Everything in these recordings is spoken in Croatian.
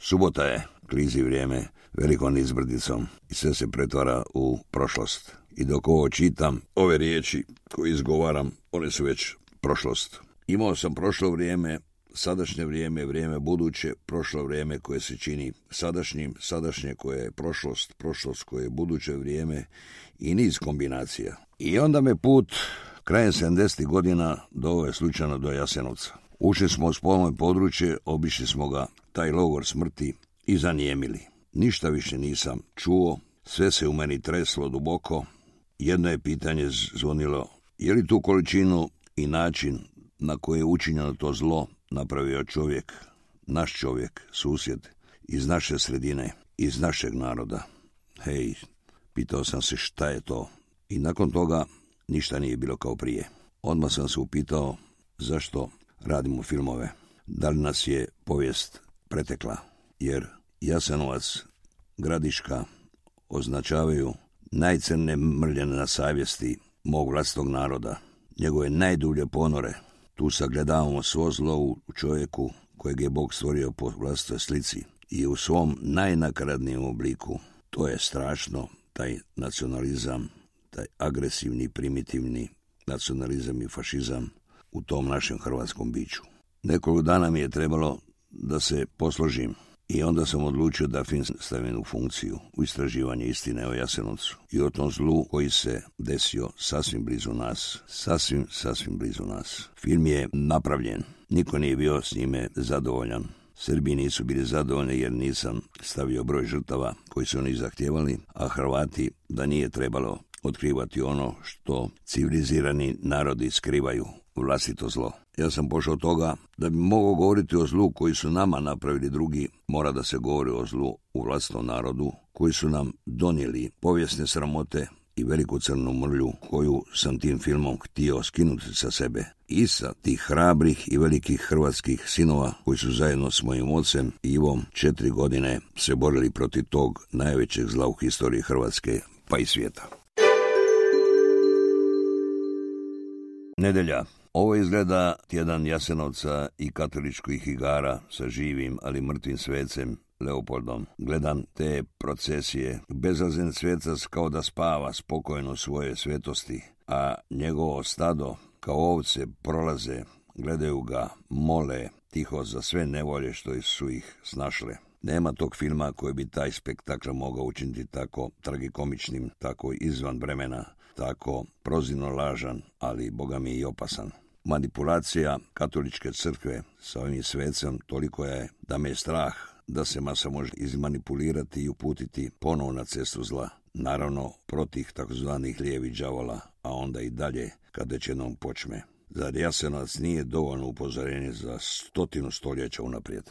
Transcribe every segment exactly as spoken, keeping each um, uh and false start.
Subota je, klizi vrijeme velikom izbrdicom i sve se pretvara u prošlost. I dok ovo čitam, ove riječi koje izgovaram, one su već prošlost. Imao sam prošlo vrijeme, sadašnje vrijeme, vrijeme buduće, prošlo vrijeme koje se čini sadašnjim, sadašnje koje je prošlost, prošlost koje je buduće vrijeme i niz kombinacija. I onda me put krajem sedamdesetih godina doveo slučajno do Jasenovca. Ušli smo u spolno područje, obišli smo ga, taj logor smrti, i zanijemili. Ništa više nisam čuo, sve se u meni treslo duboko. Jedno je pitanje zvonilo, je li tu količinu i način na koji je učinjeno to zlo napravio čovjek, naš čovjek, susjed, iz naše sredine, iz našeg naroda? Hej, pitao sam se šta je to. I nakon toga ništa nije bilo kao prije. Odmah sam se upitao zašto radimo filmove. Da li nas je povijest pretekla? Jer Jasenovac, Gradiška označavaju najcrnije mrljene na savjesti mog vlastitog naroda. Njegove najdublje ponore. Tu sagledavamo svo zlo u čovjeku kojeg je Bog stvorio po vlastitoj slici i u svom najnakaradnijem obliku. To je strašno, taj nacionalizam, taj agresivni, primitivni nacionalizam i fašizam u tom našem hrvatskom biću. Nekoliko dana mi je trebalo da se posložim i onda sam odlučio da film stavim u funkciju, u istraživanje istine o Jasenovcu i o tom zlu koji se desio sasvim blizu nas, sasvim, sasvim blizu nas. Film je napravljen, niko nije bio s njime zadovoljan. Srbi nisu bili zadovoljni jer nisam stavio broj žrtava koji su oni zahtijevali, a Hrvati da nije trebalo otkrivati ono što civilizirani narodi skrivaju, vlastito zlo. Ja sam pošao od toga da bi mogao govoriti o zlu koji su nama napravili drugi, mora da se govori o zlu u vlastitom narodu, koji su nam donijeli povijesne sramote i veliku crnu mrlju koju sam tim filmom htio skinuti sa sebe i sa tih hrabrih i velikih hrvatskih sinova koji su zajedno s mojim ocem Ivom četiri godine se borili protiv tog najvećeg zla u historiji Hrvatske pa i svijeta. Nedelja. Ovo izgleda tjedan Jasenovca i katoličkih igara sa živim, ali mrtvim svecem Leopoldom. Gledam te procesije. Bezazlen svecac kao da spava spokojno svoje svetosti, a njegovo stado kao ovce prolaze, gledaju ga, mole tiho za sve nevolje što su ih snašle. Nema tog filma koji bi taj spektakl mogao učiniti tako tragikomičnim, tako izvan vremena, tako prozirno lažan, ali boga mi i opasan. Manipulacija katoličke crkve sa ovim svecem toliko je da me je strah da se masa može izmanipulirati i uputiti ponovo na cestu zla. Naravno, protiv takozvanih lijevih đavola, a onda i dalje kada će jednom počme. Zar Jasenovac nije dovoljno upozorenje za stotinu stoljeća unaprijed?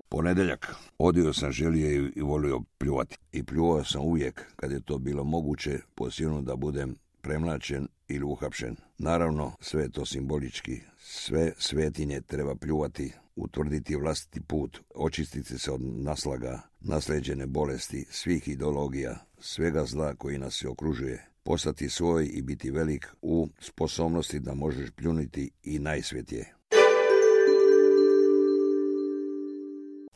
Ponedeljak. Odio sam želio i volio pljuvati. I pljuvao sam uvijek kad je to bilo moguće, posebno da budem premlačen ili uhapšen. Naravno, sve je to simbolički. Sve svetinje treba pljuvati, utvrditi vlastiti put, očistiti se od naslaga, nasleđene bolesti, svih ideologija, svega zla koji nas se okružuje, postati svoj i biti velik u sposobnosti da možeš pljuniti i najsvetije.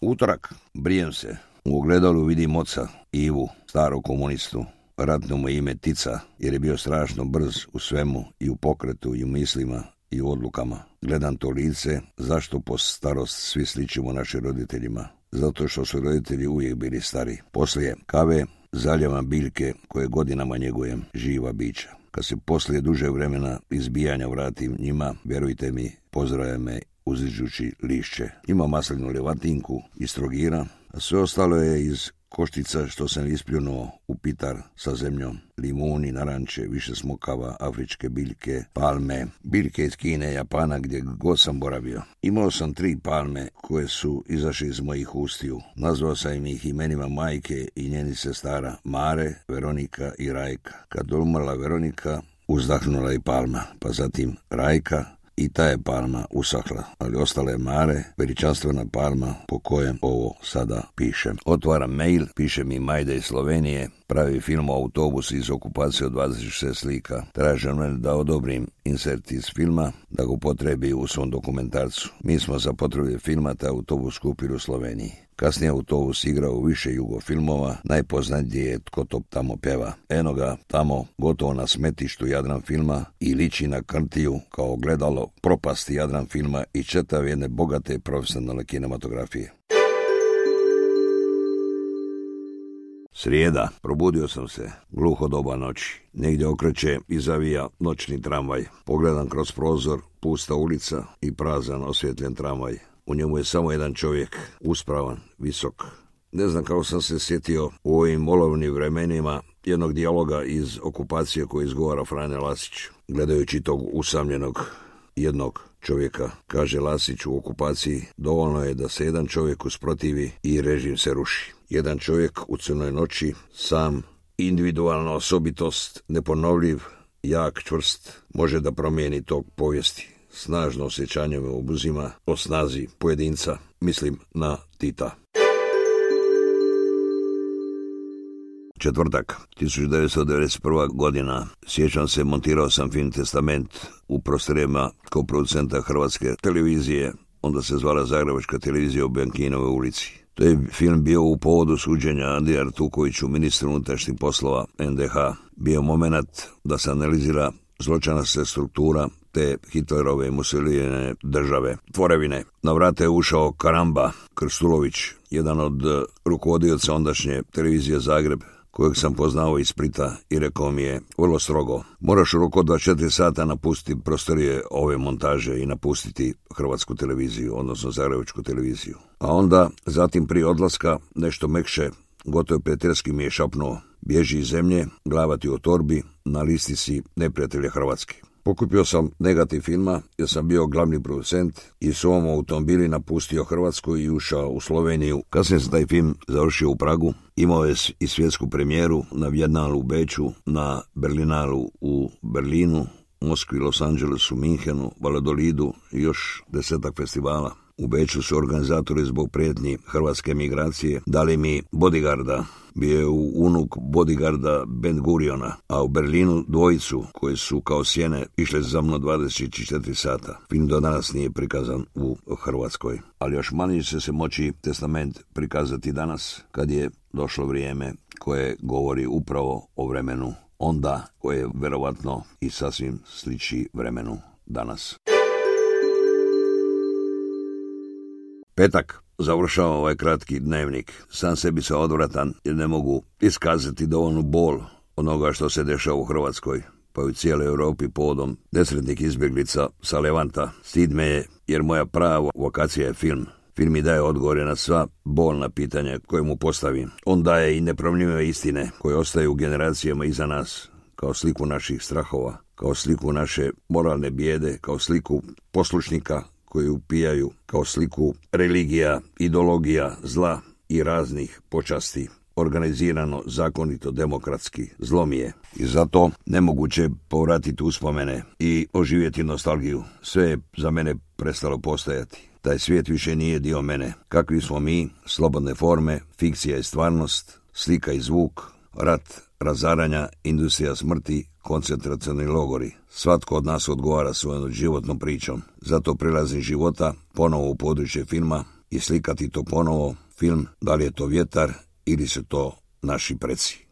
Utorak. Brijem se. U ogledalu vidim oca, Ivu, starog komunistu. Ratno mu ime Tica, jer je bio strašno brz u svemu, i u pokretu, i u mislima, i u odlukama. Gledam to lice, zašto po starost svi sličimo našim roditeljima? Zato što su roditelji uvijek bili stari. Poslije kave zaljevam biljke koje godinama njegujem, živa bića. Kad se poslije duže vremena izbijanja vratim njima, vjerujte mi, pozdravlja me uziđući lišće. Ima maslinu levatinku iz Trogira, a sve ostalo je iz koštica što sam ispljunuo u pitar sa zemljom. Limuni, naranče, više smokava, afričke biljke, palme, biljke iz Kine, Japana, gdje god sam boravio. Imao sam tri palme koje su izašli iz mojih ustiju. Nazvao sam ih imenima majke i njeni sestara, Mare, Veronika i Rajka. Kad umrla Veronika, uzdahnula i palma, pa zatim Rajka, i ta je palma usahla, ali ostala je Mare, veličanstvena palma po kojem ovo sada pišem. Otvaram mail, piše mi Majda iz Slovenije pravi film o autobusu iz okupacije od dvadeset šest slika. Traže mene da odobrim insert iz filma, da ga upotrebi u svom dokumentarcu. Mi smo za potrebe filma taj autobus kupili u Sloveniji. Kasnije autobus igrao u više jugofilmova, najpoznatiji je Tko to tamo pjeva. Eno ga tamo gotovo na smetištu Jadran filma i liči na krntiju kao gledalo propasti Jadran filma i čitav jedne bogate profesionalne kinematografije. Srijeda. Probudio sam se. Gluho doba noći. Negdje okreće i zavija noćni tramvaj. Pogledam kroz prozor, pusta ulica i prazan osvjetljen tramvaj. U njemu je samo jedan čovjek, uspravan, visok. Ne znam kako sam se sjetio u ovim olovnim vremenima jednog dijaloga iz okupacije koji izgovara Frane Lasić. Gledajući tog usamljenog jednog čovjeka, kaže Lasić u okupaciji, dovoljno je da se jedan čovjek usprotivi i režim se ruši. Jedan čovjek u crnoj noći, sam, individualna osobitost, neponovljiv, jak, čvrst, može da promijeni tog povijesti. Snažno osjećanje me obuzima o snazi pojedinca, mislim na Tita. Četvrtak, tisuću devetsto devedeset prva godina. Sjećam se, montirao sam film Testament u prostorijama kao producenta Hrvatske televizije, onda se zvala Zagrebačka televizija u Bianchinovoj ulici. To je film bio u povodu suđenja Andriji Artukoviću, ministru unutrašnjih poslova en de ha. Bio moment da se analizira zločinačka struktura te Hitlerove i Mussolinijeve države. Tvorevine. Na vrata je ušao Karamba Krstulović, jedan od rukovodioca ondašnje televizije Zagreb, kojeg sam poznao iz Splita, i rekao mi je vrlo strogo: moraš u roku od dvadeset četiri sata napustiti prostorije ove montaže i napustiti Hrvatsku televiziju, odnosno Zagrebačku televiziju. A onda, zatim prije odlaska, nešto mekše, gotovo prijateljski mi je šapnuo: bježi iz zemlje, glava ti u torbi, na listi si neprijatelja Hrvatske. Pokupio sam negativ filma jer sam bio glavni producent i s ovom automobili napustio Hrvatsku i ušao u Sloveniju. Kasnije sam taj film završio u Pragu. Imao je i svjetsku premijeru na Bijenalu u Beču, na Berlinalu u Berlinu, Moskvi, Los Angelesu, Minhenu, Valladolidu i još desetak festivala. U Beču su organizatori zbog prijetnji hrvatske migracije dali mi bodyguarda. Bio je unuk bodyguarda Ben Guriona, a u Berlinu dvojicu koji su kao sjene išle za mnom dvadeset četiri sata. Film do danas nije prikazan u Hrvatskoj, ali još manje će se moći Testament prikazati danas, kad je došlo vrijeme koje govori upravo o vremenu onda, koje je verovatno i sasvim sliči vremenu danas. Petak. Završavam ovaj kratki dnevnik. Sam sebi sam odvratan jer ne mogu iskazati dovoljnu bol onoga što se dešava u Hrvatskoj, pa i u cijeloj Europi povodom nesretnih izbjeglica sa Levanta. Stid me je jer moja prava vokacija je film. Film mi daje odgovore na sva bolna pitanja koje mu postavim. On daje i nepromljive istine koje ostaju generacijama iza nas, kao sliku naših strahova, kao sliku naše moralne bijede, kao sliku poslušnika koji upijaju, kao sliku religija, ideologija, zla i raznih počasti. Organizirano, zakonito, demokratski, zlo mi je. I zato nemoguće povratiti uspomene i oživjeti nostalgiju. Sve je za mene prestalo postojati. Taj svijet više nije dio mene. Kakvi smo mi, slobodne forme, fikcija i stvarnost, slika i zvuk, rat, razaranja, industrija smrti, koncentracioni logori. Svatko od nas odgovara svojom životnom pričom. Zato prilazim života ponovo u područje filma i slikati to ponovo. Film, da li je to vjetar ili su to naši preci.